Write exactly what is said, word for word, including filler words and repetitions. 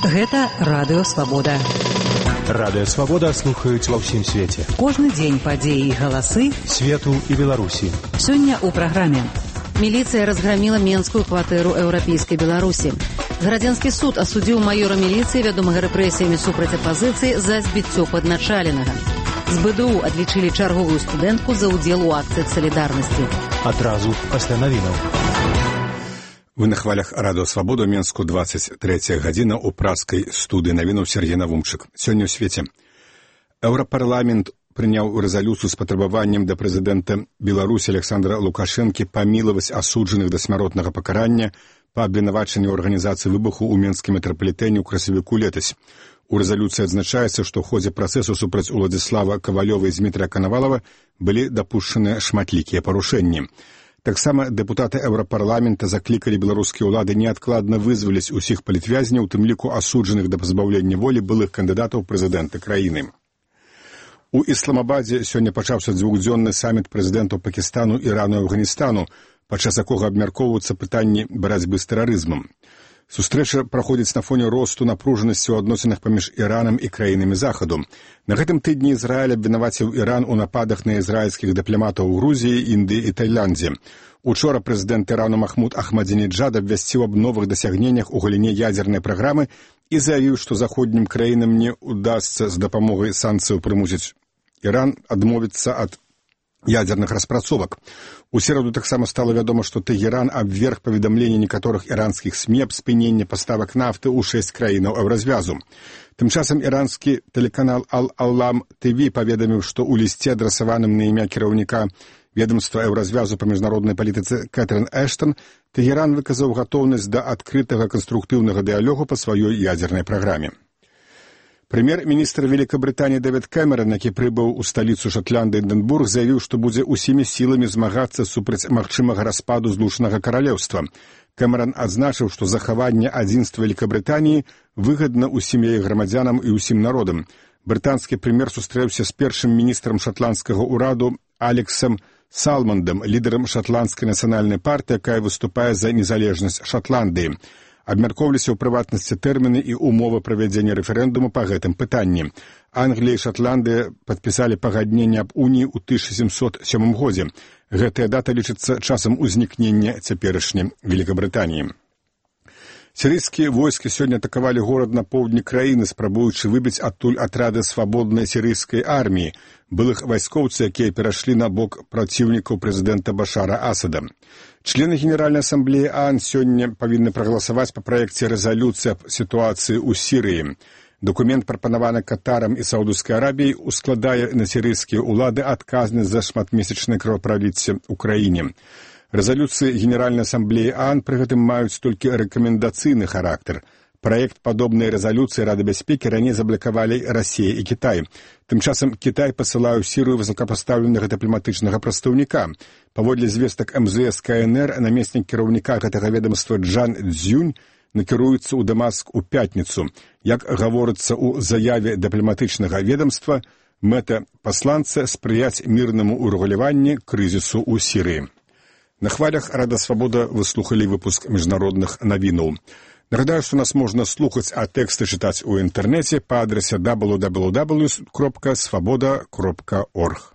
Гэта Радыё Свабода. Радыё Свабода слухаюць ва ўсім свеце. Кожны дзень падзеі і галасы свету і Беларусі. Сёння ў праграме. Міліцыя разграміла менскую кватэру еўрапейскай Беларусі. Градзянскі суд асудзіў майора міліцыі, вядомага рэпрэсіямі супраць апазіцыі, за збіццё падначаленага. З БДУ адлічылі чарговую студэнтку за ўдзел у акцыях салідарнасці. Адразу пасля навінаў. Вы на хвалях Радыё Свабода, Менску, двадцать третья гадзіна ў праскай студыі навінаў Сергей Навумчык. Сёння ў свеце. Еўрапарламент прыняў рэзалюцыю з патрабаваннем да прэзідэнта Беларусі Александра Лукашэнкі памілаваць асуджаных да смяротнага пакарання па абвінавачанню арганізацыі выбуху ў Менскім метрапалітэне ў красавіку летась. У рэзалюцыі адзначаецца, што ў ходзе працэсу супраць Уладзіслава Кавалёва і Змітрыя Канавалава былі дапушчаныя шматлікія парушэнні. Таксама дэпутаты Еўрапарламента заклікалі беларускія ўлады неадкладна вызваліць усіх палітвязняў, у тым ліку асуджаных да пазбаўлення волі былых кандыдатаў прэзідэнта краіны. У Ісламабадзе сёння пачаўся дзвюхдзённы саміт прэзідэнтаў Пакістану, Ірану і Афганістану, падчас якога абмяркоўваюцца пытанні барацьбы з тэрарызмам. Сустрэча праходзіць на фоне росту напружанасці ў адносінах паміж Іранам і краінамі Захаду. На гэтым тыдні Ізраіль абвінаваціў Іран у нападах на ізраільскіх дыпламатаў у Грузіі, Індыі і Таіландзе. Учора прэзідэнт Ірану Махмуд Ахмадзінеджад абвясціў аб новых дасягненнях у галіне ядзернай праграмы і заявіў, што заходнім краінам не ўдасца з дапамогай санкцыяў прымусіць Іран адмовіцца ад ядзерных распрацовак. У сераду таксама стала вядома, што Тэгеран абверг паведамленне некаторых іранскіх СМІ аб спыненні паставак нафты ў шэсць краінаў еўразвязу. Тым часам іранскі тэлеканал Ал-Алам ТВ паведаміў, што ў лісце, адрасаваным на імя кіраўніка ведомства еўразвязу па міжнароднай палітыцы Кэтрын Эштон, Тэгеран выказаў гатоўнасць да адкрытага канструктыўнага дыялогу па сваёй ядзернай праграме. Прэм'ер-міністр Великабрытаніі Дэвід Кэмерон, які прыбыў у сталіцу Шатландыі Эдынбург, заявіў, што будзе ўсімі сіламі змагацца супраць магчымага распаду злучанага каралеўства. Кэмерон адзначыў, што захаванне адзінства Великабрытаніі выгадна ўсім яе грамадзянам і ўсім народам. Брытанскі прэм'ер сустрэўся з першым міністрам шатландскага ўраду Алексам Салмандам, лідарам шатландскай нацыянальнай партыі, якая выступае за незалежнасць Шатландыі. Абмяркоўваліся ў прыватнасці тэрміны і умовы правядзення рэферэндуму па гэтым пытанні. Англія і Шатландыя падпісалі пагадненне аб уніі ў тысяча сямсот сёмым годзе. Гэтая дата лічыцца часам узнікнення цяперашняй Великабрытаніі. Сірыйскія войскі сёння атакавалі горад на поўдні краіны, спрабуючы выбіць адтуль атрады свабоднай сірыйскай арміі, былых вайскоўцаў, якія перайшлі на бок праціўнікаў прэзідэнта Башара Асада. Члены Генеральнай асамблеі ААН сёння павінны прагаласаваць па праекце рэзалюцыі аб сітуацыі ў Сірыі. Дакумент, прапанаваны Катарам і Саудаўскай Арабіяй, ускладае на сірыйскія ўлады адказнасць за шматмесячнае кровапраліцце ў краіне. Рэзалюцыі Генеральнай асамблеі ААН пры гэтым маюць толькі рэкамендацыйны характар. Праект падобнай рэзалюцыі Рады бяспекі раней заблакавалі Расія і Кітай. Тым часам Кітай пасылае ў Сірыю высокапастаўленага дыпламатычнага прадстаўніка. Паводле звестак эм зэ эс ка эн эр, намеснік кіраўніка гэтага ведамства Джан Цзюнь накіруецца ў Дамаск у пятніцу. Як гаворыцца ў заяве дыпламатычнага ведамства, мэта пасланца спрыяць мірнаму ўрэгуляванню крызісу ў Сірыі. На хвалях Радыё Свабода вы слухалі выпуск міжнародных навінаў. Нагадаю, што нас можна слухаць, а тэксты чытаць у інтэрнэце па адрасе дабл ю дабл ю дабл ю крапка свабода крапка орг.